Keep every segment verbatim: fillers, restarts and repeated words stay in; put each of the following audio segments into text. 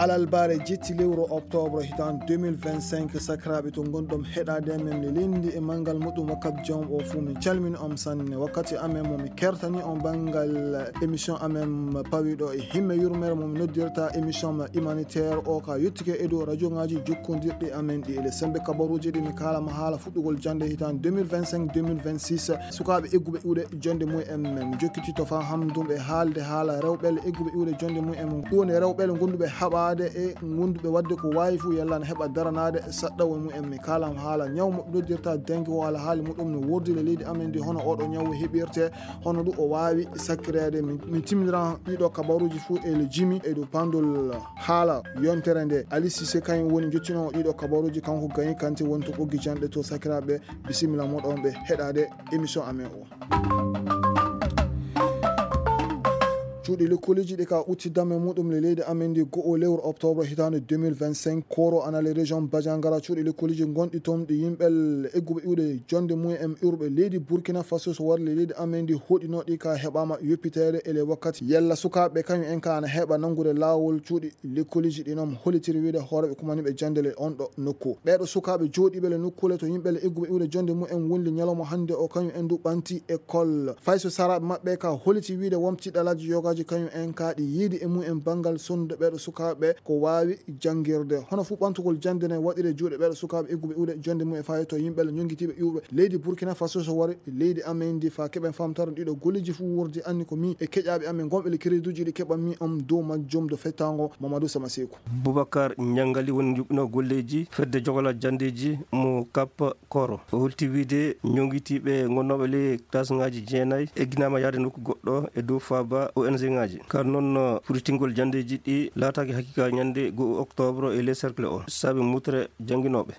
Alalbaare jetti lewru octobre hitaan deux mille vingt-cinq, sakiraaɓe to ngonɗon heɗaade men, mi linndi e manngal muɗum wakkati jom o fuu, min calmini on sanne. Wakkati amen mo mi kertani on banngal émission amen pawiɗo e himme yurmere mo mi noddirta émission humanitaire o ka yottike e dow rajongaaji jokkondirɗi amen ɗi. Ele sembe kabaruuji ɗi mi kaalama haala fuɗɗugol jannde hitaan deux mille vingt-cinq, deux mille vingt-six. Sukaaɓe egguɓe iwde jonde mum en, mi jokkiti to faa hamdum e haalde haala rewɓe egguɓe iwde jonde mum en, ɗum woni rewɓe gonduɓe haɓaade e gonduɓe wadde ko waawi fuu yalla ne heɓa daranaade saɗɗawo mum en. Mi kaalam haala ñaw mo noddirta dengue o, alhaali muɗum no wordile leydi amen ndi, hono oɗo ñaw heɓirte, hono ɗum o waawi sakkireede. Min, min timmiran ɗiɗo kabaruuji fuu e le jimi e dow pandol haala yontere nde. Ali Cissé kañum woni jottinoowo ɗiɗo kabaruuji, kanko Gayi Kanté woni to ɓoggi janɗe to. Sakiraaɓe, bisimilla moɗon ɓe heɗaade émission amen o. Cuuɗi lekkooliji ɗi ka utti damme muɗum le leydi amen ndi go'o lewru octobre hitaande deux mille vingt-cinq, koro ana le région Badiangara. Cuuɗi lekkooliji gonɗi toon ɗi yimɓe egguɓe iwde jonde mum en iwruɓe leydi Burkina Faso so wari le leydi amen ndi hoɗinooɗi ka heɓaama yoppiteede e le wakkati. Yalla sukaaɓe kañum en ka ana heɓa nanngude laawol cuuɗi lekkooliji ɗi noon hollitiri wiyde hooreeɓe kumaniiɓe jannde le on ɗo nokku. Ɓeeɗo sukaaɓe jooɗiiɓe le nokkuule to yimɓe le egguɓe iwde jonde mum en wonli ñalawma hannde o, kañum en du ɓanti école. Fay so saraaɓe maɓɓe ka holliti wiyde won tiɗalaaji yogaaji kañum en ka ɗi yiidi e mum en banngal sonnude ɓeeɗo sukaaɓe ko waawi janngirde. Hono fuu ɓantugol jannde ne waɗire juuɗe ɓeeɗo sukaaɓe egguɓe iwde jonde mum e faayo to yimɓe le ñonngitiiɓe iwɓe leydi Burkina Faso so wari leydi amen ndi faa keɓen famtaro ɗiɗo golleeji fuu wurdi anni ko mi e keƴaaɓe amen gonɓe le crédituuji ɗi keɓan mi on dow majjum do fettango Mamadou Samaseku. Boubacar Ñangali woni yuɓɓino golleeji fedde jogola janndeeji mo Cap Koro. O holti wiyde ñonngitiiɓe ngonnooɓe ley classe ŋaaji jeenayi egginaama yahde nokku goɗɗo e dow faaba O N G ŋaaji. Ka noon, furitingol janndeeji ɗi laataaki hakiika ñannde go'o octobre e ley cercle o, saabi mutre jannginooɓe.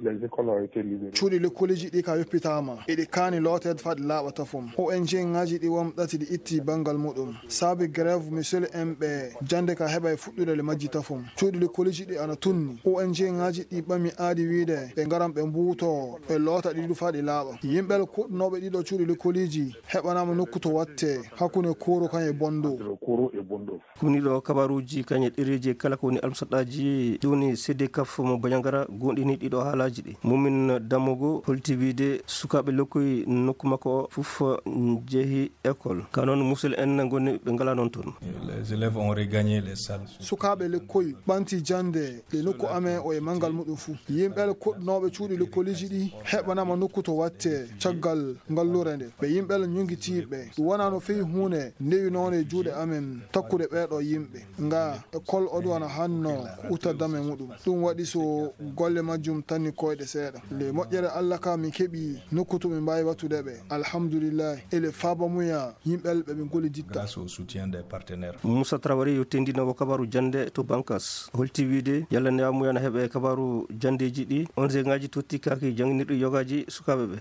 Cuuɗi lekkooliji ɗi ka yoppitaama, eɗi kaani looteede faa ɗi laaɓa tafum. O N G ŋaaji ɗi won ɗati ɗi itti banngal muɗum. Saabi grève misel en ɓe jannde ka heɓa e fuɗɗude le majji tafum. Cuuɗi lekkooliji ɗi ana tunni. O N G ŋaaji ɗi ɓami aadi wiyde ɓe ngaran ɓe mbuuto, ɓe loota ɗi du faa ɗi laaɓa. Yimɓe kuɗnooɓe ɗiɗo cuuɗi lekkooliji heɓanaama nokku to watte hakkunde Koro kan e Bondo. Koro e Bondo. Kuniɗo kabaruuji kañe ɗereeji e kala ko woni almusaɗɗaaji, ɗum woni C D C A F mo Bandiagara, goonɗini ɗiɗo haalaaji ɗi. Mumin Damogo holti wiyde sukaaɓe lokkoy nokku makko o fof njehi école. Ka noon, musidɓe en ngoni ɓe ngalaa noon toon. Les élèves ont regagné les salles. Sukaaɓe lekkoy ɓanti jannde le nokku amen o e manngal muɗum fuu. Yimɓe kuɗnooɓe cuuɗi lekkooliji ɗi heɓanaama nokku to watte caggal ngallure nde. Ɓe yimɓe ñonngitiiɓe. Ɗum wonaa no feewi huunde ndewinoonde e juuɗe amen takkude ɓeeɗo yimɓe. Nga école o ɗum ana hanno ko utta dame muɗum. Ɗum waɗi so golle majjum tanni koyɗe seeɗa. Nde moƴƴere Allah ka min keɓi nokku to min mbaawi wattude ɓe. Alhamdulillahi. Ele faaba muya yimɓe ɓe ɓe ngolliditta. Grâce au soutien des partenaires. Moussa Traoré yo tendinoowo kabaaru jannde to Bankas. Holti wiyde yalla ne amuya na heɓe kabaaru janndeeji ɗi. O N G ŋaaji totti kaaki jannginirɗi yogaaji sukaaɓe ɓe.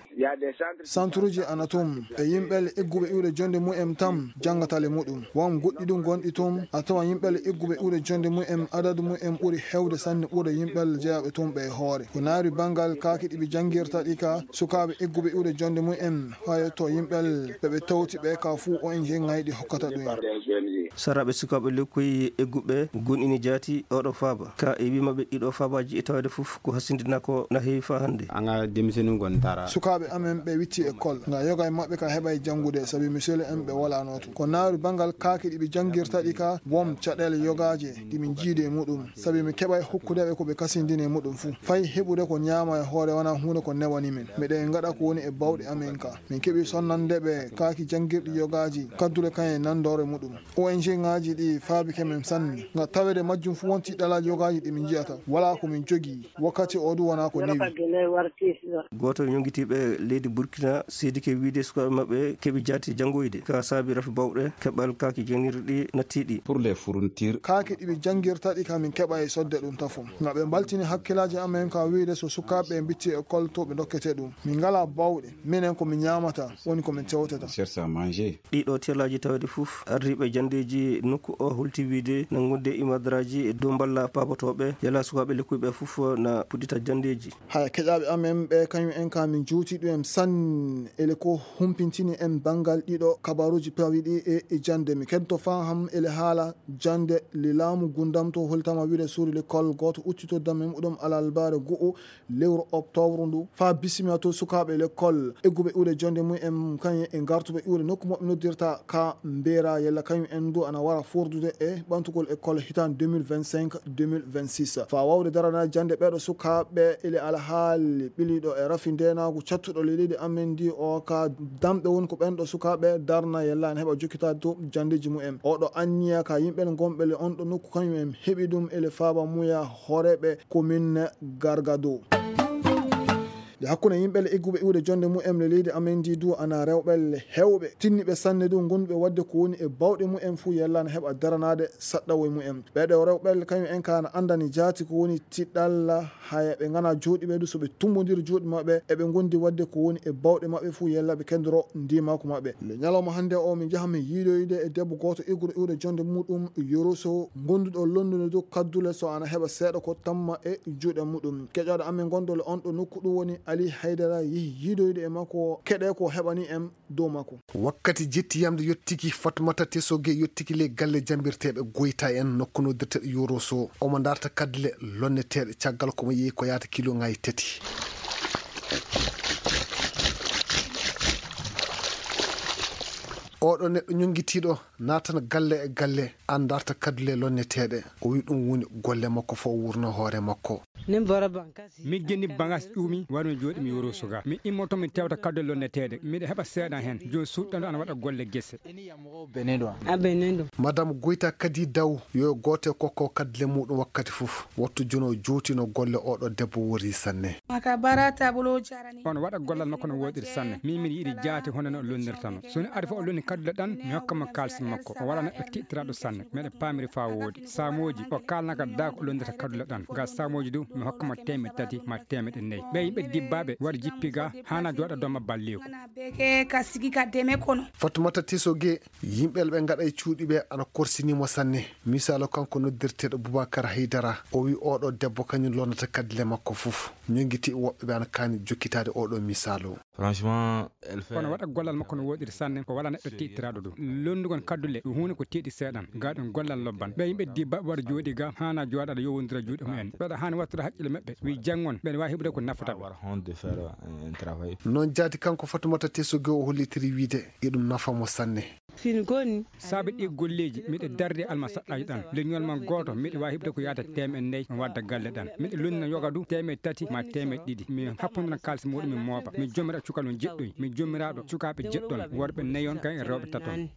Centre uji ana toon, e yimɓe egguɓe iwde jonde mum en tan janngata le muɗum. Won goɗɗi ɗum gonɗi toon, a tawa yimɓe egguɓe iwde jonde mum en, adadu mum en ɓuri heewde sanne ɓurɗo yimɓe jeyaaɓe toon ɓe e hoore. Ko naari banngal kaaki ɗi ɓe janngirta ɗi ka sukaaɓe egguɓe iwde jonde mum en, haa yetto yimɓe ɓe ɓe tawti ɓe ka fuu O N G ŋaaji ɗi hokkata ɗum en. Saraaɓe sukaaɓe lekkoy egguɓe gonɗini jaati oɗo faaba. Ka e wii maɓɓe ɗiɗo faabaaji e taweede fof ko hasindinaa ko na heewi faa hannde. Anga demisenu gon tara. Sukaaɓe amen ɓe witti école. Nga yoga e maɓɓe ka heɓa e janngude sabi misele en ɓe walaano to. Ko naari banngal kaaki ɗi ɓe janngirta ɗi ka won caɗeele yogaaje ɗi min jiidi e muɗum. Sabi mi keɓa e hokkude ɓe ko ɓe kasindini e muɗum fuu. Fay heɓude ko ñaama e hoore wonaa huunde ko newani min. Miɗen ngaɗa ko woni e bawɗe amen ka. Min keɓi sonnande ɓe kaaki janngirɗi yogaaji, kaddule kan e nandoore muɗum. O N G ŋaaji ɗi faabike men sanne. Nga tawede majjum fuu won tiɗɗalaaji yogaaji ɗi min njiyata. Walaa ko min jogii. Wakkati o du wonaa ko newi. Gooto e ñonngitiiɓe leydi Burkina seedike wiyde sukaaɓe maɓɓe keɓi jaati janngoyde. Ka saabi rafi bawɗe keɓal kaaki janngirɗi nattiiɗi. Pour les fournitures. Kaaki ɗi ɓe janngirta ɗi ka min keɓa e sodde ɗum tafo. Nga ɓe mbaltini hakkilaaji amen ka wiyde so sukaaɓe ɓe mbitti école to ɓe dokkete ɗum. Min ngalaa bawɗe. Minen ko min ñaamata, woni ko min tewtata. Cherche à manger. Ɗiɗo telaaji tawde fof ardiiɓe janndeeji Nokku o holti wiide nanngude imadraji e dow mballa paabotooɓe, yalla sukaaɓe lekkuyɓe fof na puɗɗita janndeeji. Haya, keƴaaɓe amen ɓe, kañum en ka min juuti ɗum en sanne. Ele ko humpintini en banngal ɗiɗo kabaruuji pawiɗi e, e jannde. Mi kento faham ele haala jannde le laamu gundam to holtama wiide suuri l'école gooto uccito damme muɗum alalbaare go'o lewru octobre ndu, faa bisimilla to sukaaɓe lekkol, egguɓe iwde jonnde mum en, kañum e gartuɓe iwde nokku maɓɓe noddirta ka Mbeera, yalla kañum en du ana wara fordude e ɓantugol école hitaande deux mille vingt-cinq, deux mille vingt-six. Faa waawde daranaade jannde ɓeeɗo sukaaɓe, ele alhaali ɓiliiɗo e rafi ndeenaagu cattuɗo le leydi amen ndi o ka damɓe woni ko ɓen ɗo sukaaɓe darna, yalla ana heɓa jokkitaade to janndeeji mum en. Oɗo anniya ka yimɓe gonɓe le on ɗo nokku kañum en heɓi ɗum ele faaba muya hooreeɓe commune Gargado. Nde hakkunde yimɓe le egguɓe iwde jonnde mumen le leydi amen ndi du ana rewɓe le heewɓe tinniɓe sanne du gonduɓe waɗde ko woni e bawɗe mumen fuu yalla na heɓa daranaade saɗɗawo e mumen. Ɓeeɗo rewɓe le kañum en ka na anndani jaati ko woni tiɗɗalla haya ɓe ngana jooɗiɓe du so ɓe tumbondiri juuɗe maɓɓe eɓe gondi waɗde ko woni e bawɗe maɓɓe fuu yalla ɓe kendoro ndimaku maɓɓe. Le ñalawma hannde o min njaha min yiidoyde e debbo gooto egguɗo iwde jonnde muɗum Yoroso gonduɗo lonndude du kaddule so ana heɓa seeɗa ko tamma e juuɗe muɗum. Keƴaaɗo amen gonɗo le on ɗo nokku ɗum woni Ali Haydara yehi yiidoyde e makko keɗe ko heɓani en dow makko. Wakkati jetti yamde yottiki Fatmata Tesoge yottiki le galle jambirteeɓe Goyta en nokku noddirteeɗo Yoroso. Omo darta kaddule lonneteeɗe caggal komo yehi ko yaata kilo ngaye tati. Oɗo neɗɗo ñonngitiiɗo naatan galle e galle, an darta kaddule lonneteeɗe. O wi ɗum woni golle makko fof wurno hoore makko. Nin bɔra ban kasi. Mi jeni bangas ƴuumi wano jooɗi mi yoro suga. Mi immoto mi tewta kaddo lonneteeɗe. Miɗo heɓa seeɗa heen. Jooni suuɗɗanɗo ana waɗa golle gese. Madame Goyta kadi daw yo gooto e kokko kaddule muɗum wakkati fof. Wattu jono jootino golle oɗo debbo wori sanne. Makabara tabulo jarani. On waɗa gollal makko no woɗiri sanne. Min miɗo yiɗi jaati hono no o lonnirtano. So ni ari fof o lonni kaddule ɗan, mi hokka mo kaalisi makko. O wala neɗɗo tiɗtiraaɗo sanne. Meɗe paamiri faa woodi. Saamooji, o kaalnaka daa ko o lonnirta kaddule ɗan. Ngal saamooji du, mi hokka mo teemeɗɗe tati ma teemeɗɗe nayi. Ɓe yimɓe dibbaaɓe wari jippi ga, hana jooɗa dooma balleeku. Beke ka sigi ka deme kono. Fatmata Tisoge, yimɓe ɓe ngaɗa e cuuɗi ɓe ana korsini mo sanne. Misaalu kanko noddirteeɗo Boubacar Haydara, o wi oɗo debbo kañum lonnata kaddule makko fof. Ñongiti woɓɓe ɓe ana kaani jokkitaade oɗo misaalu. Franchement, elle fait. Kono waɗa gollal makko no woɗiri sanne, ko wala neɗɗo tiɗtiraaɗo ɗum. Lonnugol kaddule, ɗum huunde ko tiiɗi seeɗan, ga ɗum gollal lobban. Ɓe yimɓe dibba waɗa jooɗi ga, hana jooɗaɗo yowondira juuɗe mumen. Ɓeɗa hani wattude haqqille maɓɓe, wi janngon, ɓeɗa wawi heɓude ko nafata ɓe. Avoir honte de faire un, un travail. Noon jaati kanko Fatumata Tesoge o hollitiri wiide, iɗum nafa mo sanne. Fin goni. Saabe ɗi golleeji, miɗo darde alma saɗɗaaji ɗan. Leñol man gooto, miɗo waawi heɓde ko yaata teemeɗɗe nayi, mi wadda galle ɗan. Miɗo lonnina yoga du, teemeɗɗe tati ma teemeɗɗe ɗiɗi. Mi happondira kaalis muɗum, mi mooɓa. Mi jomira cukalel jeɗɗoy. Mi jomiraaɗo cukaaɓe jeɗɗon, worɓe nayon, kay e rewɓe taton.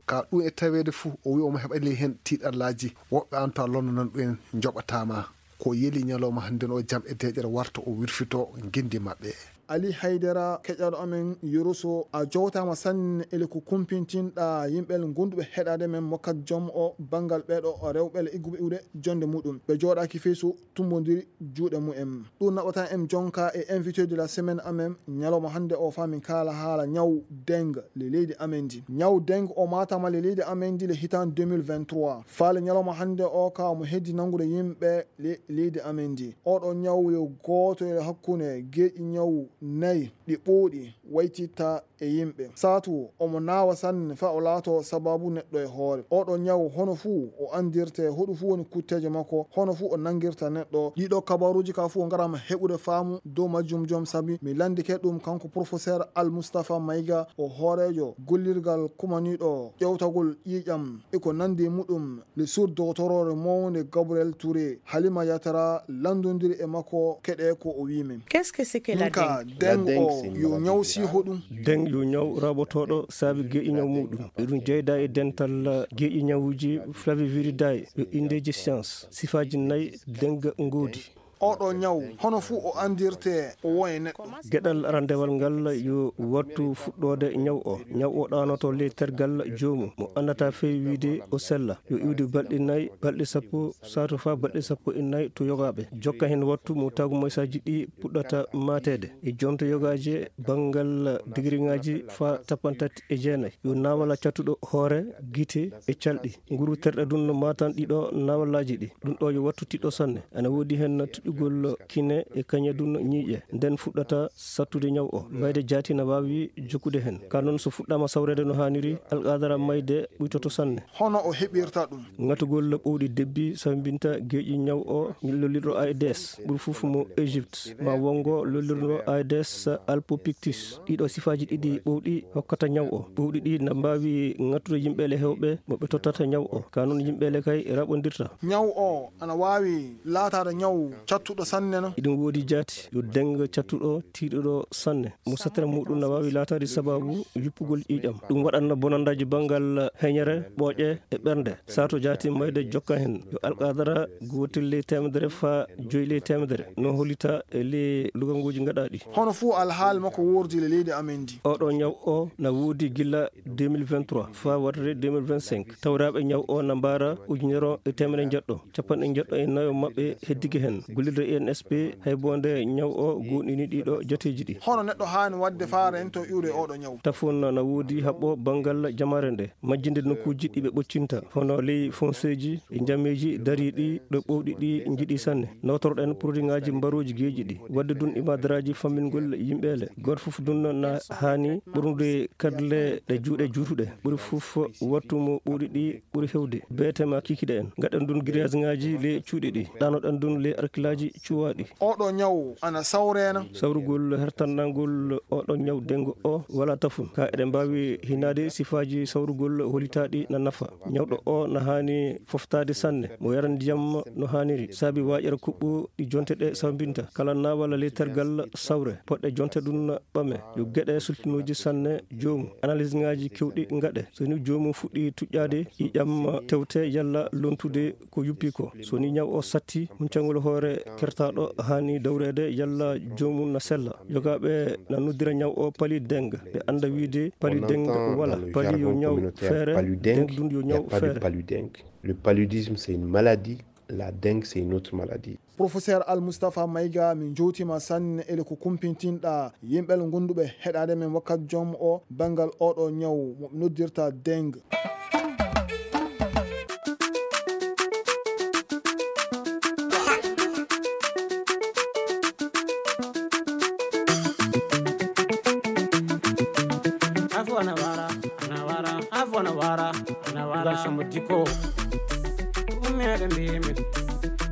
Ka ɗum e taweede fuu, o wi'i omo heɓa ley heen tiiɗallaaji. Woɓɓe an to a lonnanan ɗum en njoɓataa ma. Ko yeli ñalawma hannden o jam e deeƴere warta o wirfito ngenndi maɓɓe. Ali Haydara, keƴaaɗo amen Yoroso, a jowtaama sanne ele ko kumpintinɗaa yimɓe gonduɓe heɗaade men mokkat jom o banngal ɓeeɗo rewɓe le igguɓe iwde jonnde muɗum. Ɓe jooɗaaki fey so tumbondiri juuɗe mumen. Ɗum naɓata en jonka e invité de la semaine amen ñalawma hannde o faa min kaala haala ñaw dengue le leydi amen ndi. Ñaw dengue o maataama le leydi amen ndi le hitaande deux mille vingt-trois. Faale ñalawma hannde o ka omo heddi nanngude yimɓe le leydi amen ndi. Oɗo ñaw yo gooto e hakkunde geeƴi ñaw nayi ɗi ɓooɗi waytitta e yimɓe. Saatu omo naawa sanne faa o laato sababu neɗɗo e hoore. Oɗo ñaw hono fuu o anndirte, hoɗum fuu woni kutteeje makko, hono fuu o nanngirta neɗɗo. Ɗiɗo kabaruuji ka fuu o ngaraama heɓude faamu dow majjum jom sabi mi lanndike ɗum kanko professeur Al Mustafa Mayga, o hooreejo gollirgal kumaniiɗo ƴewtagol ƴiiƴam e ko nanndi muɗum. Le sur doctorore mawnde Gabriel Touré, Halima Yatara lanndondiri e makko keɗe ko o wiimi. Qu'est-ce que c'est que la dengue? Dengue o yo ñaw si hoɗum? Dengue yo ñaw raɓotooɗo saabi geeƴi ñaw muɗum. Eɗum jeyda e dental geeƴi ñawuji flaviviridae yo indeji science. Sifaaji nayi dengue ngoodi. Oɗo ñaw, hono fuu o anndirtee, o won e neɗɗo. Geɗal arandewal ngal yo wattu fuɗɗoode ñaw o. Ñaw o ɗaanoto ley tergal joomum. Mo anndataa feewi wiide o sella. Yo iwde balɗe nayi, balɗe sappo, sato faa balɗe sappo e nayi to yogaaɓe. Jokka heen wattu mo taagumoysaaji ɗi puɗɗata maateede. E jonte yogaaje banngal digiriŋaaji faa cappanɗe tati e jeenayi. Yo naawala cattuɗo hoore, gite e calɗi. Nguru terɗe ɗum no maatan ɗiɗo naawalaaji ɗi. Ɗum ɗo yo wattu tiɗɗo sanne. Ana woodi heen tuƴƴugol kine e kañe ɗum ñiiƴe. Nden fuɗɗata sattude ñaw o. Mayde jaati na waawi jokkude heen. Ka noon so fuɗɗaama sawreede no haaniri, alqadara mayde ɓuytoto sanne. Hono o heɓirta ɗum? Ŋatugol ɓowɗi debbi sambinta geeƴi ñaw o lollirɗo A E D S. Ɓuri fof mo Égypte. Ma wongo lollirɗo A E D S albopictus. Ɗiɗo sifaaji ɗiɗi ɓowɗi hokkata ñaw o. Ɓowɗi ɗi na mbaawi ŋattude yimɓeele heewɓe mo ɓe tottata ñaw o. Ka noon yimɓeele kay raɓondirta. Ñaw o ana waawi laataade ñaw cattuɗo sanne no? Iɗum woodi jaati yo deng cattuɗo tiiɗuɗo sanne. Mo satira muɗum na waawi laataade sababu yuppugol ƴiiƴam. Ɗum waɗanno bonandaaji banngal heñere, ɓooƴe e ɓernde. Sato jaati mayde jokka heen. Yo alqadara gootel ley teemedere faa joyi ley teemedere. No hollita e ley luganguuji gaɗaaɗi. Hono fuu alhaali makko woordi le leydi amen ndi. Oɗo ñaw o na woodi gila deux mille vingt-trois faa warde deux mille vingt-cinq. Tawraaɓe ñaw o na mbaara ujunere e teemedere njeɗɗo. Capanɗe njeɗɗo e nayo maɓɓe heddike heen. Gollirde I N S P hay bonde ñaw o goonɗini ɗiɗo jateeji ɗi. Hono neɗɗo haani waɗde faa rento iwde oɗo ñaw? Tafon na woodi haɓɓo banngal jamaare nde. Majjinde nokkuuji ɗi ɓe ɓoccinta, hono ley fonseeji e njameeji dariiɗi ɗo ɓowɗi ɗi njiɗi sanne. Nootorɗen produitŋaaji mbarooji geeƴi ɗi. Waɗde ɗum ibadaraaji fammingol yimɓeele. Gooto fof ɗum na haani ɓurnude kadle ɗe juuɗe juutuɗe. Ɓuri fof wattu mo ɓowɗi ɗi ɓuri hewde. Beete ma kikiɗe en. Ngaɗen ɗum grillage-ŋaaji ley cuuɗi ɗi. Ɗaanoɗen ɗum ley arkilaaji cuwaaɗi. Oɗo ñaw ana sawreena? Sawrugol hertannangol oɗo ñaw dengo o wala tafun. Ka eɗen mbaawi hinaade sifaaji sawrugol holitaaɗi na nafa. Ñawɗo o na haani foftaade sanne. Mo yara ndiyam no haaniri. Saabi waaƴere kuɓɓo ɗi jonte ɗe sawbinta. Kala naawala ley tergal sawre. Poɗɗe jonte ɗum ɓame. Yo geɗe sultinooji sanne joomu. Analyse-ŋaaji kewɗi ngaɗe. So ni joomu fuɗɗi tuƴƴaade, ƴiiƴam tewte yalla lontude ko yuppi ko. So ni ñaw o satti, huncangol hoore kertaaɗo haani dawreede yalla joomum na sella. Yogaaɓe na noddira ñaw o palu dengue. Ɓe annda wiide palu dengue wala. Palu yo ñaw feere, dengue ɗum yo ñaw feere. Le paludisme, c'est une maladie. La dengue, c'est une autre maladie. Professeur Al Mustafa Mayga, min jowtiima sanne ele ko kumpintinɗa yimɓe ngonduɓe heɗaade men wakkati joom o banngal oɗo ñaw mo ɓe noddirta dengue. Afo na wara, na wara, afo na wara, na wara. Ngal somo diko. Umere mbimi,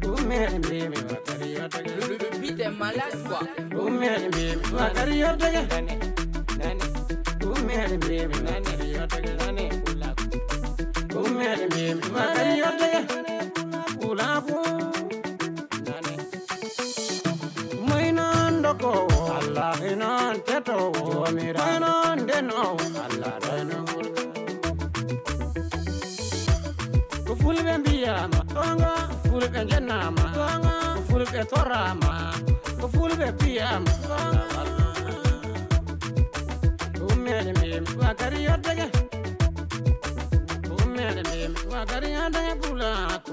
umere mbimi, wakari yotege. Le, le, le beat est malade, quoi. Umere mbimi, wakari yotege. Umere mbimi, wakari yotege. Umere mbimi, wakari yotege. Ulabu. Moy noon ndokowo, Allah e noon tetowo, Joomiraaɗo. Moy noon ndenoowo, Allah ɗoyno. Ko fulɓe mbiyaama, goonga, fulɓe njenaama, goonga, ko fulɓe toraama, ko fulɓe mbiyaama, goonga. Ummeede mbimi, wakari yoddege. Ummeede mbimi, wakari yoddege pulako.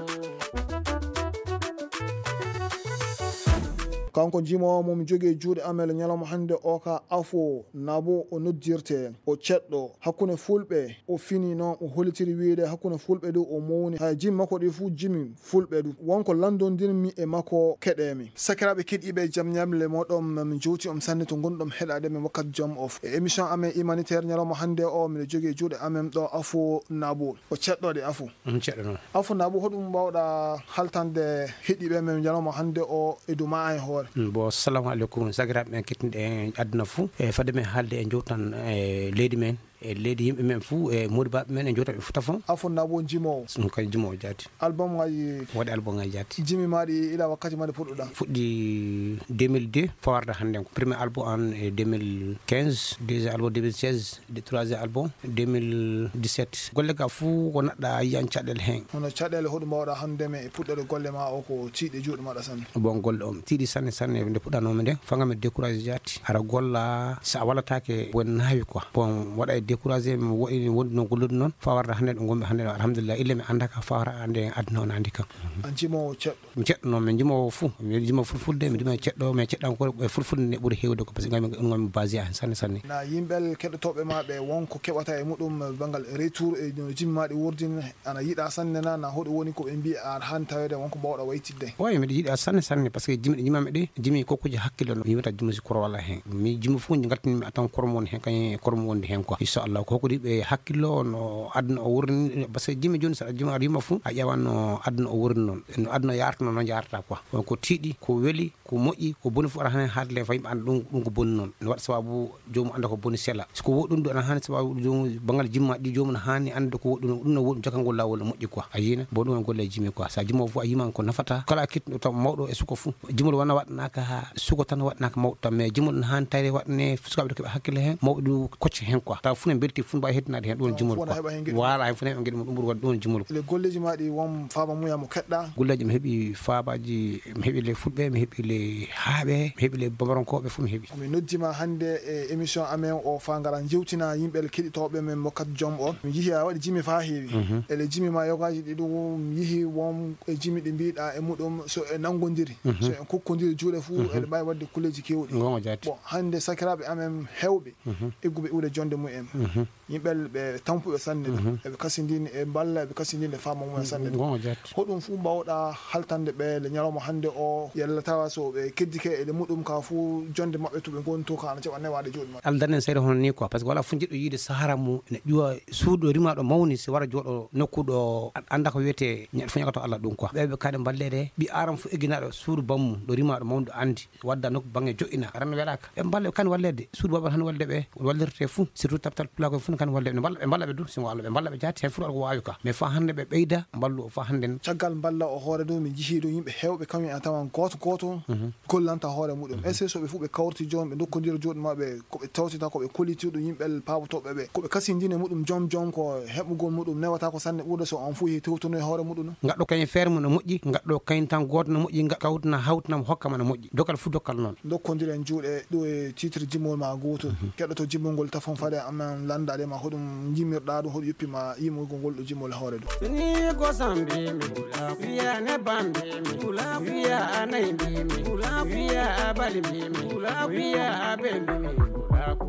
Kanko jimoowo mo mi jogii e juuɗe amen e ñalawma hannde o ka Afo Nabo o noddirte, o ceɗɗo hakkunde fulɓe, o fini noon o hollitiri wiyde hakkunde fulɓe du o mawni. Hay jimi makko ɗi fuu jimi fulɓe du. Wonko lanndondirmi e makko keɗeemi. Sakiraaɓe keɗiiɓe jam ñamle mooɗon, min jowti on sanne to ngonɗon heɗaade men wakkati jam o. E émission amen humanitaire ñalawma hannde o, miɗo jogii e juuɗe amen ɗo Afo Nabo. O ceɗɗo de Afo. Mm, ceɗɗo noon. Afo Nabo, hoɗum mbaawɗa haltande heɗiiɓe men ñalawma hannde o e dow ma e hoore? Mm, bo, assalamu aleykum, sakiraaɓe men kettiniiɓe e aduna fuu. E fadde men haalde e jowtan e leydi men, E leydi yimɓe men fuu, e moodibaaɓe men, e jootaɓe fuu tafon. A fonnaa bo jimoowo? Ɗum kay jimoowo jaati. Album ngaji? Waɗi album ngaji jaati. Jimi ma ɗi ila wakkati ma ɗi puɗɗuɗa? Fuɗɗi deux mille deux, fawarde hannde ko. Premier album an e deux mille quinze, deuxième album deux mille seize, de troisième album deux mille dix-sept. Golle ga fuu ko naɗɗa yiyan caɗeele hen. Hono caɗeele hoɗum mbawɗa hannde men e puɗɗere golle ma o ko tiiɗi e juuɗe maɗa sanne? Bon, golle on tiiɗi sanne, sanne. Nde puɗɗanoomi nden, fanga mi découragé jaati. Ara golla, sa a wallataake, bon, naawi quoi. Bon, waɗa e découragé, mi waɗi, wondi no gollude noon, fawarde hannde ɗo ngonmi hannde ɗo, alhamdulillah, ille mi annda ka fawara hannde aduna on anndi kam. An jimoowo ceɗɗo? Mi ceɗɗo noon, mi jimoowo fuu. Mi jimoowo fulfulde, mi jimoowo ceɗɗo, mais ceɗɗankore e fulfulde nde ɓuri heewde ko, parce que ngonmi, ngonmi basé hen sanne, sanne. Na yimɓe keɗotooɓe ma ɓe wonko keɓata e muɗum banngal retour e no jimi ma ɗi wurdin, ana yiɗa sanne na, na hoɗum woni ko ɓe mbiya a haani taweede wonko mbawɗa waytidde? Oy, miɗo yiɗa sanne, sanne, parce que jimi ɗi jimami ɗi, jimi kokkuji hakkille no. Mi yimata jimi si koro wala hen. Mi jimi fof ngaltini mi atan koro mo woni hen, kañum e koro mo wondi hen quoi. Inchallah, ko hokkude ɓe hakkillo no aduna o wurni, parce que jimi joni sa jimi aɗa yima fof, a ƴewan no aduna o wurni noon. No aduna yarata noon, noon yarata quoi. Donc ko tiiɗi, ko weli, ko moƴƴi, ko boni fof aɗa haani haalde, faa yimɓe annda ɗum, ɗum ko boni noon. No waɗa sababu joomum annda ko boni sela. So ko woɗɗum ɗum aɗa haani sababu joomum, banngal jimma ɗi joomum no haani annde ko woɗɗum, ɗum no woɗɗum, jokka ngol laawol no moƴƴi quoi. A yiina? Bon, ɗum woni golle jimi quoi. Sa jimoowo fof a yiman ko nafata. Kala a kettuɗo taw mawɗo e suka fof. Jimol wona waɗanaaka ha suka tan waɗanaaka mawɗo tan. Mais jimol no haani tawde waɗane sukaaɓe ɗo keɓa hakkille hen, mawɓe ɗum kocca hen quoi. Taw fof ne belti, fof ne mbawi heddinaade hen, ɗum woni jimol quoi. Wona heɓa hen geɗe mum. Wala, hay fof ne heɓa geɗe mum, ɗum woni waɗde, ɗum woni jimol. Le golleji ma ɗi won faaba mum ya mo keɗɗa? Golleji mi heɓi faabaaji, mi heɓi le fulɓe, mi heɓi le haaɓe, mi heɓi le bamaronkooɓe, fof mi heɓi. Mi noddi ma hannde e émission amen o faa ngara njewtina yimɓe keɗitooɓe men Mokkat Jom o. Mi yihi a waɗi jimi faa heewi. Mhm. Ele jimi ma yogaaji ɗi ɗum mi yihi won e jimi ɗi mbiɗa e muɗum so e nanngondiri, mhm, so en kokkondiri juuɗe fuu, mhm, eɗe mbaawi waɗde kulleeji keewɗi. Ngonga jaati. Bon, hannde sakiraaɓe amen heewɓe, mhm, egguɓe iwde jonde mumen. Mhm. Yimɓe ɓe tampuɓe sanne, mhm, eɓe kasindini e mballa, eɓe kasindini e faama mumen sanne. Ngonga jaati. Hoɗum fuu mbawɗa haltande ɓe le ñalawma hannde o, yalla tawa so ɓe keddike e le muɗum ka fuu jonde maɓɓe to ɓe ngoni to ka ana jaɓa newaade juuɗe maɓɓe? Aldanen seeɗa hono ni quoi, parce que wala fof jiɗɗo yiide sahara mum ene ƴuwa suudu ɗo rima ɗo mawni, si wara jooɗo nokku ɗo an-, annda ko wiyetee ñaɗ fof ñagato Allah ɗum quoi. Ɓe ɓe kaɗe mballeede, ɓi aram fof egginaɗo suudu bammum ɗo rima ɗo mawni ɗo anndi. Wadda nokku bannge joƴƴina. Ran welaaka. Ɓe mballa, ɓe kan walleede. Suudu baba han walde ɓe, wallirte fuu. Surtout taptal pulaakoy fuu kan walde ɓe. Mballa, ɓe mballa ɓe du, singo Allah, ɓe mballa ɓe jaati. Hen fuu ko waawi ka. Mais faa hannde ɓe ɓeyda, mballu o faa hannde. Caggal mballa o hoore du, min njihii du yimɓe heewɓe, kañum en tawan gooto gooto, mhm, gollanta hoore muɗum. Mhm. Est-ce que so ɓe fuu ɓe kawriti jooni, ɓe ndokkondira juuɗe maɓɓe, ko ɓe tawtita, ko ɓe kolliti ɗum yimɓe paabotooɓe ɓe, ko ɓe kasindini e muɗum joom joom, ko heɓugol muɗum newata ko sanne ɓurde so on fuu yehi tewtonoy hoore muɗum no? Ngaɗɗo kañum feere mum no moƴƴi, ngaɗɗo kañum tan gooto no moƴƴi, nga-, kawtina, hawtina mo, hokka ma no moƴƴi. Dokkal fuu dokkal noon. Ndokkondiren juuɗe ɗo e titre jimol ma gooto. Mhm. Keɗoto jimol ngol tafon fade amen lanndaade ma hoɗum jimirɗa ɗum, hoɗum yoppi ma yimugol ngol ɗo jimol hoore ɗum. Ni ko sambi mi bula, wiya ne bambi mi bula, wiya anayi mbi mi bula, wiya abali mbi mi bula, wiya abe mbi mi bula ko.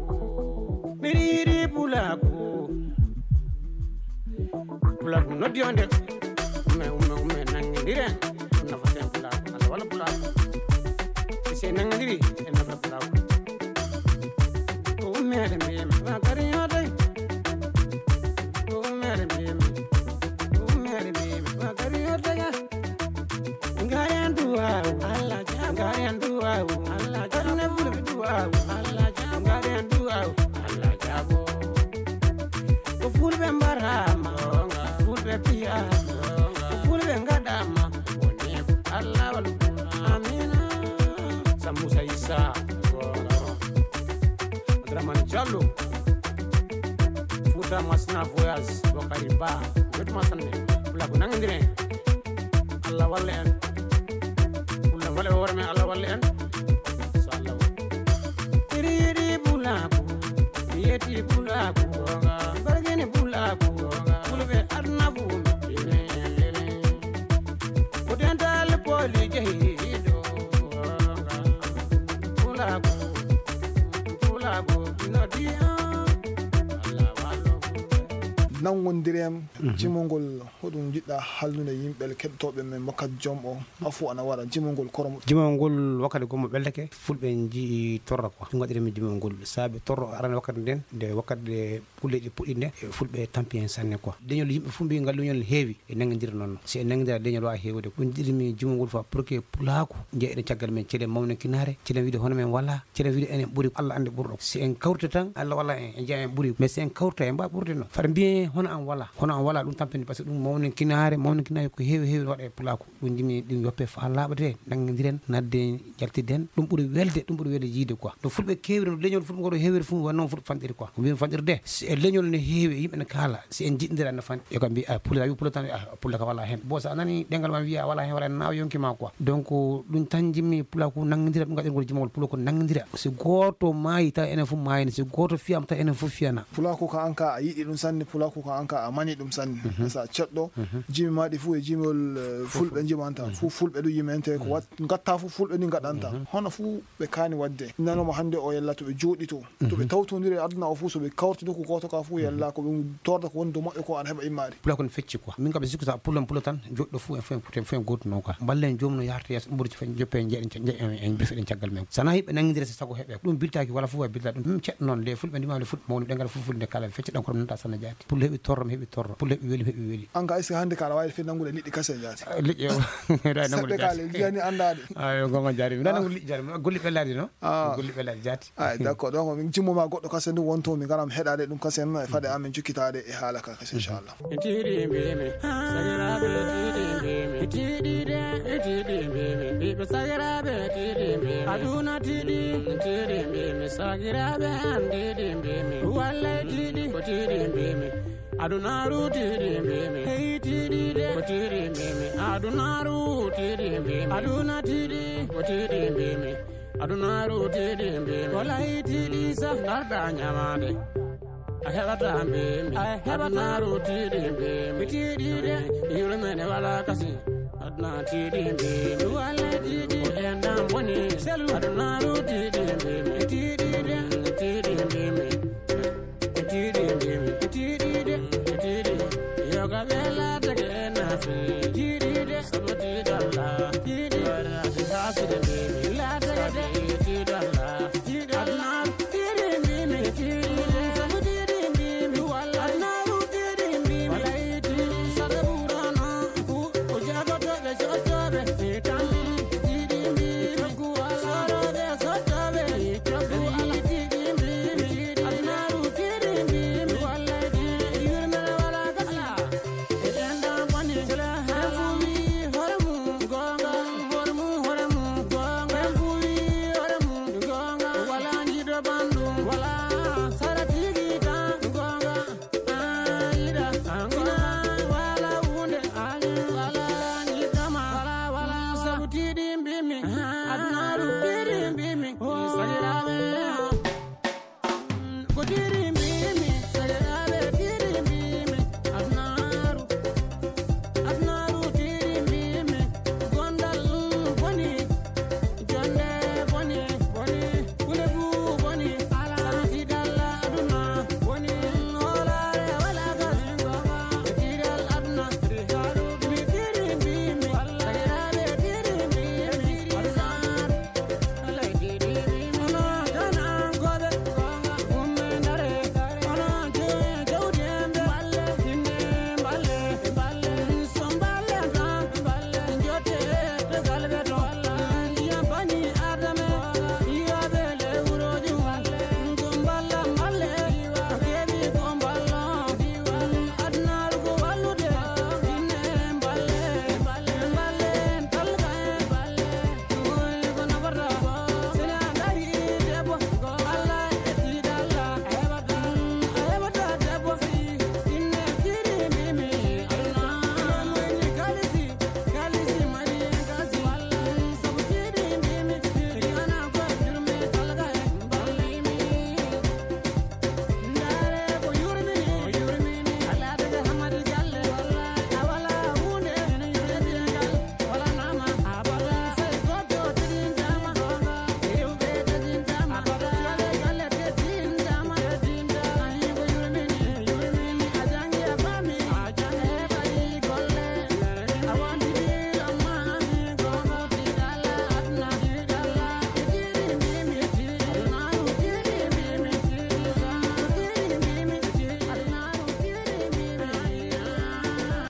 Miɗo yiɗi pulaaku. Pulaaku noddi on de. Umme, umme, umme, nanngindiren. Ɗum nafaten pulaaku. Allah walla pulaaku. Si en nanngindiri, en nafa pulaaku. Ko ummeede mbiymi, wa kadi yodde. Ko ummeede mbiymi. Ko ummeede mbiymi, wa kadi yodde ga. Ngaren duwawu, Allah jaabo. Ngaren duwawu, Allah jaabo. Aduna fulɓe duwawu, Allah jaabo. Ngaren duwawu, Allah jaabo. Ko fulɓe mbarama, fulɓe piyama, ko fulɓe ngaɗama. Woni Allah walu. Amina. Sambusa Issa. Abdourahmane Diallo. Fouta Masina Voyage, Bokari Ba. Wetuma sanne. Pulaaku nanngindiren. Allah walla en. Pulaaku walla e hoore men, Allah walla en. So Allah waɗi. Iri iri pulaaku, yeti pulaaku, bargini pulaaku, fulɓe aduna fuu. Ko dental poli jehiɗo. Pulaaku, pulaaku, no diya. Allah wallo. Nanngondireem, jimongol, hoɗum njiɗɗa hallude yimɓe keɗotooɓe men wakkati jom o? Afu ana wara, jimongol koromo. Jimongol wakkati gommo ɓeldake, fulɓe njii torra quoi. Ɗum waɗiri min jimongol. Saabe torro arani wakkati nden, nde wakkati nde pulle ɗi puɗɗi nde, e fulɓe tampi hen sanne quoi. Leñol yimɓe fof mbi ngal leñol ne heewi, e nanngondira noon. Si en nanngondira leñol waawa heewde. Ɗum jiɗmi jimongol fa pour que pulaaku njeeɗen caggal men, celen mawninkinaare, celen wiide hono men wala, celen wiide enen ɓuri, Allah anndi ɓurɗo. Si en kawrita tan, Allah walla en, en njeya en ɓuri. Mais si en kawrita en mbaa ɓurde noon. Fata mbiyen hono an wala. Hono an wala ɗum tampini, parce que ɗum mawninkinaare, mawninkinaare ko heewi heewi waɗa e pulaaku. Ɗum jimi ɗum yoppe fa laaɓa de, nanngondiren, nadde jaltiden. Ɗum ɓuri welde, ɗum ɓuri welde yiide quoi. No fulɓe keewiri, no leñol fulɓe ngol heewiri fof, wonno fulɓe fanɗiri quoi. Ko mbimi fanɗirde, si e leñol ne heewi, yimɓe ne kaala, si en jiɗndira ne fanɗi. E ko mbi, a, pullo, a wi pullo tan, a, pullo ka wala hen. Bon, so a nani ɗengal ma wiya wala hen, wala hen, nawa yonki ma quoi. Donc, ɗum tan jimmi pulaaku nanngondira, ɗum gaɗirgol jimawol pullo ko nanngondira. Si gooto maayi taw enen fof maayani, si gooto fiyama taw enen fof fiyana. Pulaaku ka an ka a yiɗi ɗum sanne, pulaaku ka an ka a mani ɗum sanne. Mhm. Sa ceɗɗo, mhm, jimi ma ɗi fof e jimol, eh, fulɓe jimanta. Mhm. Fof fulɓe ɗum yimante ko, mhm, wat-, ngatta fof fulɓe ni ngaɗanta. Mhm. Hono fof ɓe kaani waɗde. Nanoma hannde o yalla to ɓe jooɗi to. To ɓe, mhm, tawtondiri e aduna o fof, so ɓe kawti nokku gooto ka fof, mhm, yalla ko ɓe torda ko woni dow maɓɓe ko ana heɓa immaade. Pulaaku ne fecci quoi. Min kam mi sikku sa pullo pullo tan, joɗɗo fof en fof en, fof en gooto no quoi. Mballen joomum no yahrata yeeso, ɗum ɓuri joppe en, jeeɗen, jeeɗen, en, en, en, en caggal men. Sana yimɓe nanngondira si sago heɓe. Ɗum biltaaki wala fof waɗi bilta ɗum. Ɗum ceɗɗo noon, le fulɓe ndima le fulɓe mawni ɗengal fof fulɓe nde kala fecci ɗankoro nanta sanna jaati. Pullo heɓi torro, mi heɓi torro. Pullo heɓi weli, mi heɓi weli. An ka, est-ce que hannde ka aɗa waawi fii nanngude liƴƴi kasen jaati? Ah, liƴƴi o. Eɗa nanngude seɓɓe ka jaati. Le, jiyaani anndaade. Ah, yo gonga jaari. Miɗa, ah, nanngude liƴƴi jaari. Golli ɓe laaɗi no? Ah. Golli ɓe laaɗi jaati. Ay, d'accord. Donc, min jimmo ma goɗɗo kasen ɗum wonto, min ngaram heɗaade ɗum kasen, e faade amin jokkitaade e haala ka kasen, inchallah. Tiiɗi mbimi, sakiraaɓe tiiɗi mbimi, tiiɗi de, tiiɗi mbimi, ɓiɓɓe sakiraaɓe tiiɗi mbimi, aduna tiiɗi, tiiɗi mbimi, sakiraaɓe an tiiɗi mbimi, wallay tiiɗi, ko tiiɗi mbimi, adunaaru tiiɗi mbimi, hey tiiɗi de, ko tiiɗi mbimi, adunaaru tiiɗi mbimi, aduna tiiɗi, ko tiiɗi mbimi. Adunaaru tiiɗi mbimi. Wala e tiiɗi sa ngarɗa ñamaande. A heɓata mbimi. A heɓata. Adunaaru tiiɗi mbimi. Tiiɗi de, yurmene wala kasi. Aduna tiiɗi mbimi. Wala tiiɗi. Ko en dam boni. Selu. Adunaaru tiiɗi mbimi. Tiiɗi de, tiiɗi mbimi. Tiiɗi mbimi, tiiɗi de, tiiɗi. Yoga ɓe laatake e nafi. Tiiɗi de, sabu tiiɗalla. Tiiɗi, waɗa si haside mbimi. Laatake de, tiiɗalla. Tiiɗalla. Tiiɗi mbimi, tiiɗi de, sabu tiiɗi mbimi. Walla naaru tiiɗi mbimi. Walla tiiɗi, sabu ɓurano. Ku, ku jagotoɓe, sottoɓe, e tambi. Tiiɗi mbimi, ku wala. Soroɓe, sottoɓe, e tambi.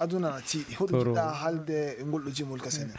Aduna tiiɗi. Hoɗo jiɗɗa haalde e ngol ɗo jimol ka Sénégal?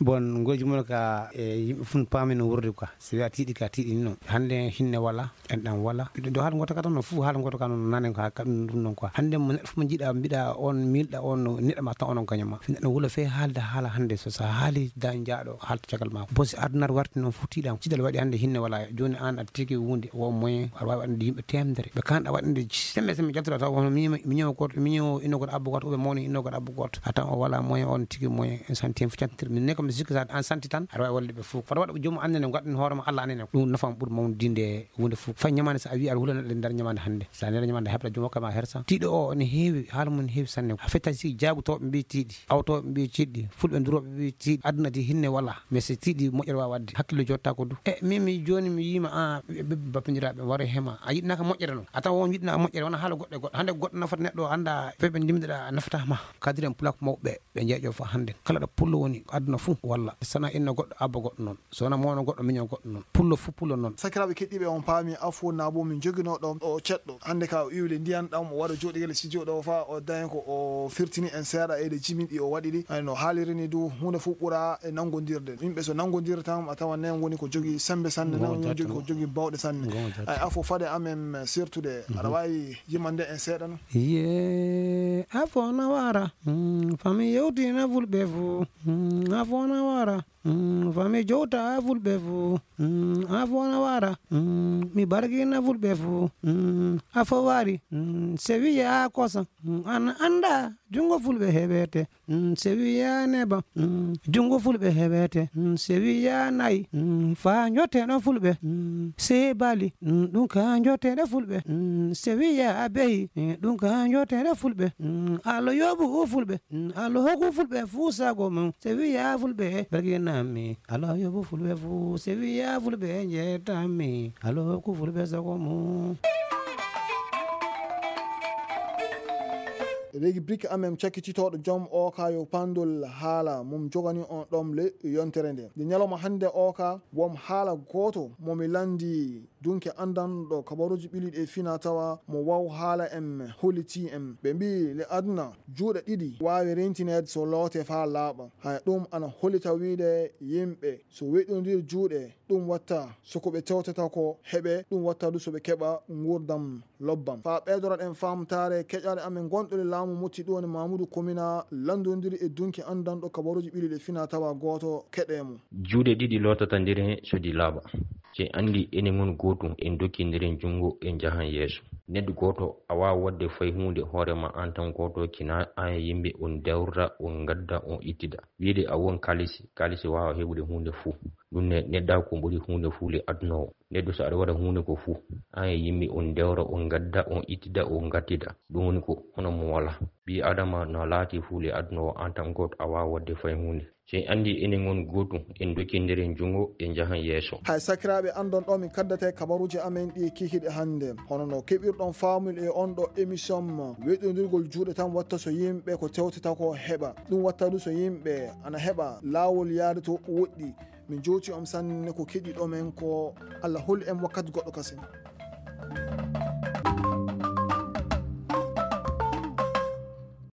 Bon, ngol jimol ka, e, yimɓe fof paami no wuurdi quoi. Si wiya tiiɗi ka tiiɗi ni non. Hannde hinne wala, enɗam wala. Ɗo haala ngoto ka tan no fof haala ngoto ka non nanen ko ha ka ɗum ɗum non quoi. Hannde mo neɗɗo fof mo jiiɗa, mbiɗa on, miilɗa on, no neɗɗo ma tan onon kañum ma. Neɗɗo wula fe haalde haala hannde so, so haali da jaaɗo haalta caggal ma. Bon, si aduna warti non fof tiiɗam. Ciɗal waɗi hannde hinne wala. Jooni an aɗa tigi wunde, wo moyen, aɗa waawi waɗande yimɓe teemedere. Ɓe kan ɗa waɗande sembe sembe jaltuɗa taw on mi, mi ñewo goto, mi ñewo inno goto abbo goto, oɓe mawni inno goto abbo goto. A tan o wala moyen, on tigi moyen, en santi en fof cantitir. Min ne kam mi sikki sa an santi tan, aɗa waawi wallude ɓe fof. Fota waɗa ko joomum annene, gadden hoore ma Allah annene. Ɗum nafam ɓuri mawnude wunde fof. Fay ñamande sa a wi aɗa hulana ɗe nder ñamande hannde. Sa nder ñamande heɓta joom hokka ma hersa. Tiiɗo o ne heewi, haala mum ne heewi sanne. A fetta si jaagu tawɓe mbi tiiɗi, awtooɓe mbi tiiɗi, fulɓe durooɓe mbi tiiɗi. Aduna di hinne wala. Mais si tiiɗi moƴƴere waawa waɗde. Hakkille jotta ko du. E min mi jooni mi yiima a ɓe bappindiraaɓe waro hema. A yiɗnaka moƴƴere non. A tawa on yiɗnaka moƴƴere wona haala goɗɗo e goɗɗo. Hannde goɗɗo nafata neɗɗo o annda fewɓe ndimɗaɗa nafata ma. Kadiren pulak mawɓe ɓe jeeƴo fof hannde. Kala ɗo pullo woni aduna fof walla. Sana inno goɗɗo abba goɗɗo non. So wona mawno goɗɗo miño goɗɗo non. Pullo fof pullo non. Sakiraaɓe keɗɗiiɓe, on paami afo na bo min joginoo ɗo o ceɗɗo. Hannde ka o iwli ndiyan ɗam o waɗa jooɗigel studio ɗo fa o daña ko o firtini en seeɗa e ɗe jimin ɗi o waɗi ɗi. Ay no haaliri ni du huunde fof ɓura e nanngondirde. Yimɓe so nanngondirde tan a tawa nen woni ko jogi sembe sanne, nen woni jogi ko jogi bawɗe sanne. Ay afo fade amen sirtude. Aɗa waawi yimande en seeɗa no? Ye afo na wara. Mm, fami yewtina fulɓe fof. Mm, afo na wara. Mm, fami jowta fulɓe fof. Mm, afo na wara. Mm, mi barkina fulɓe fof. Mm, afo wari. Mm, se wiya kosa. Mm, an anda jungo fulɓe heɓete. Mm, se wiya neba. Mm, jungo fulɓe heɓete. Mm, se wiya nayi. Mm, fa jotteno fulɓe. Mm, se bali. Mm, ɗum ka jottede fulɓe. Mm, se wiya beyi. Mm, ɗum ka jottede fulɓe. Mm, Allah yoɓu fulɓe. Mm, Allah hokku fulɓe fuu sago mum. Se wiya fulɓe barkinami. Allah yoɓu fulɓe fuu. Se wiya fulɓe jettami. Allah hokku fulɓe sago mum. Regi brik amen cakkititooɗo joom o ka yo pandol haala mum jogani on ɗom le yontere nde. Nde ñalawma hannde o ka wom haala gooto mo mi lanndi dunke anndanɗo kabaruuji ɓiliɗi e fina tawa mo waw haala en holliti en. Ɓe mbii le aduna juuɗe ɗiɗi waawi rentineede so loote faa laaɓa. Haya ɗum ana hollita wiide yimɓe so weɗɗondir juuɗe ɗum watta so ko ɓe tewtata ko heɓe, ɗum watta du so ɓe keɓa nguurdam lobbam. Faa ɓeydoraɗen faamtaare keƴaale amen gonɗo le laamu Motti ɗo woni Mamudu Komina lanndondiri e dunki anndanɗo kabaruuji ɓiliɗi e fina tawa gooto keɗee mo. Juuɗe ɗiɗi lootata nder heen so ɗi laaɓa. Si en anndi enen ngon gootum, en dokkindiren junngo, en njahan yeeso. Neɗɗo gooto a waawa waɗde fay huunde hoore ma aan tan gooto, kina aan e yimɓe on dewrata, on ngadda, on ittida. Wiide a won kaalisi, kaalisi waawa heɓude huunde fuu. Ɗum ne neɗɗa ko ɓuri huunde fuu le aduna o. Neɗɗo so aɗa waɗa huunde ko fuu, aan e yimɓe on dewra, on ngadda, on ittida, on ngattida. Ɗum woni ko hono mo walaa. Ɓii Adama no laati fuu le aduna o, aan tan gooto a waawa waɗde fay huunde. Si en anndi enen ngon gootum, en dokkindiren junngo, en njahan yeeso. Hay sakiraaɓe, anndon ɗo min kaddata e kabaruuji amen ɗi kikiɗe hannde. Hono no keɓirɗon faamuyɗo e on ɗo émission mo, weɗɗondirgol juuɗe tan watta so yimɓe ko tewtata ko heɓa. Ɗum watta du so yimɓe ana heɓa laawol yaade to woɗɗi. Min jowti on sanne ko keɗiɗo men ko Allah holi en wakkati goɗɗo kasen.